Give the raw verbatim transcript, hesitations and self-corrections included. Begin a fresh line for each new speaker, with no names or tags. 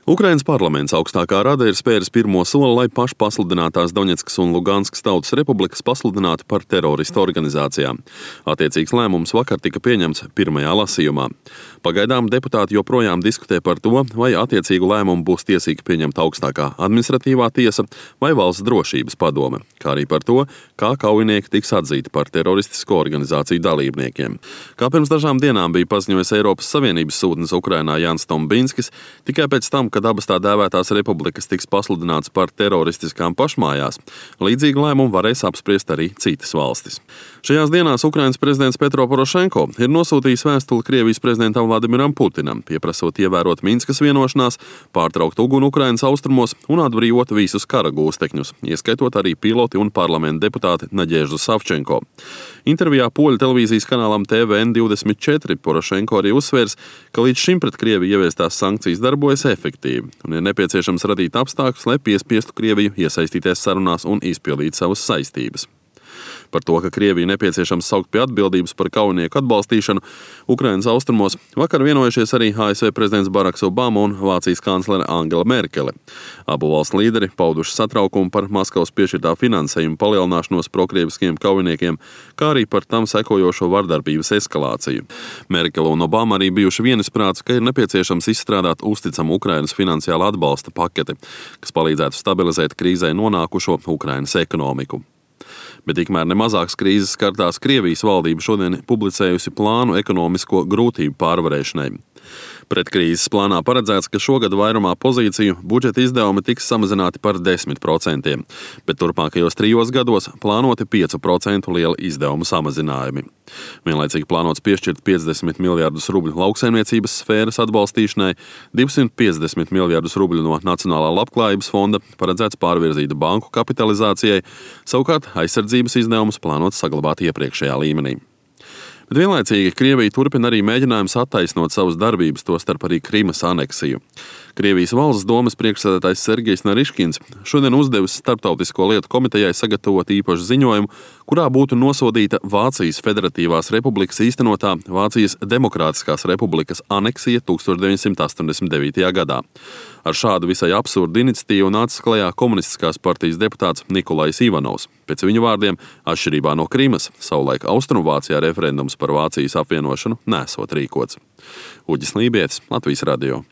Ukrainas parlaments augstākā rada ir spēris pirmo soli, lai pašpasludinātās Doņetskas un Luganskas tautas republikas pasludinātu par teroristu organizācijām. Attiecīgs lēmums vakar tika pieņemts pirmajā lasījumā. Pagaidām deputāti joprojām diskutē par to, vai attiecīgu lēmumu būs tiesīga pieņemt augstākā administratīvā tiesa vai valsts drošības padome, kā arī par to, kā kaujinieki tiks atzīti par teroristisko organizāciju dalībniekiem. Kā pirms dažām dienām bija paziņojis Eiropas Savienības sūtnis Ukrainā Jānis Tombinskis, tikai pēc tam, kad abas tā dēvētās republikas tiks pasludināts par teroristiskām pašmājās, līdzīgu lēmumu varēs apspriest arī citas valstis. Šajās dienās Ukrainas prezidents Petro Porošenko ir nosūtījis vēstuli Krievijas prezidentam Vladimiram Putinam, pieprasot ievērot Minskas vienošanās, pārtraukt uguni Ukrainas austrumos un atbrīvot visus kara gūstekņus, ieskaitot arī piloti un parlamenta deputāti Naģeždu Savčenko. Intervijā poļu televīzijas kanālam T V N divdesmit četri Porošenko arī uzsvērs, ka līdz šim pret Krieviju ieviestās sankcijas darbojas efektīvi un ir nepieciešams radīt apstākļus, lai piespiestu Krieviju iesaistīties sarunās un izpildīt savas saistības. Par to, ka Krieviju nepieciešams saukt pie atbildības par kaujinieku atbalstīšanu Ukrainas austrumos, vakar vienojušies arī A S V prezidents Baraks Obama un Vācijas kanclere Angela Merkele. Abu valstu līderi pauduši satraukumu par Maskavas piešķirtā finansējuma palielināšanos prokrieviskiem kaujiniekiem, kā arī par tam sekojošo vardarbības eskalāciju. Merkele un Obama arī bijuši vienisprāts, ka ir nepieciešams izstrādāt uzticamu Ukrainas finansiāla atbalsta paketi, kas palīdzētu stabilizēt krīzē nonākušo Ukrainas ekonomiku. Bet tikmēr nemazākas krīzes skartās Krievijas valdība šodien publicējusi plānu ekonomisko grūtību pārvarēšanai. Pretkrīzes plānā paredzēts, ka šogad vairumā pozīciju budžeta izdevumi tiks samazināti par desmit procentiem, bet turpmākajos trijos gados plānoti pieci procenti liela izdevumu samazinājumi. Vienlaicīgi plānots piešķirt piecdesmit miljardus rubļu lauksaimniecības sfēras atbalstīšanai, divsimt piecdesmit miljardus rubļu no Nacionālā labklājības fonda paredzēts pārvirzīt banku kapitalizācijai, savukārt aizsardzības izdevumus plānots saglabāt iepriekšējā līmenī. Bet vienlaicīgi Krievija turpina arī mēģinājumus attaisnot savas darbības, tostarp arī Krimas aneksiju. Krievijas valsts domes priekšsēdētājs Sergejs Nariškins šodien uzdevis Starptautisko lietu komitejai sagatavot īpašu ziņojumu, kurā būtu nosodīta Vācijas Federatīvās republikas īstenotā Vācijas Demokrātiskās republikas aneksija tūkstoš deviņsimt astoņdesmit devītajā gadā. Ar šādu visai absurdu iniciatīvu nācis klajā komunistiskās partijas deputāts Nikolajs Ivanovs. Pēc viņa vārdiem, atšķirībā no Krimas, savulaik Austrumvācijā referendums par Vācijas apvienošanu nesot rīkots. Uģis Lībietis, Latvijas radio.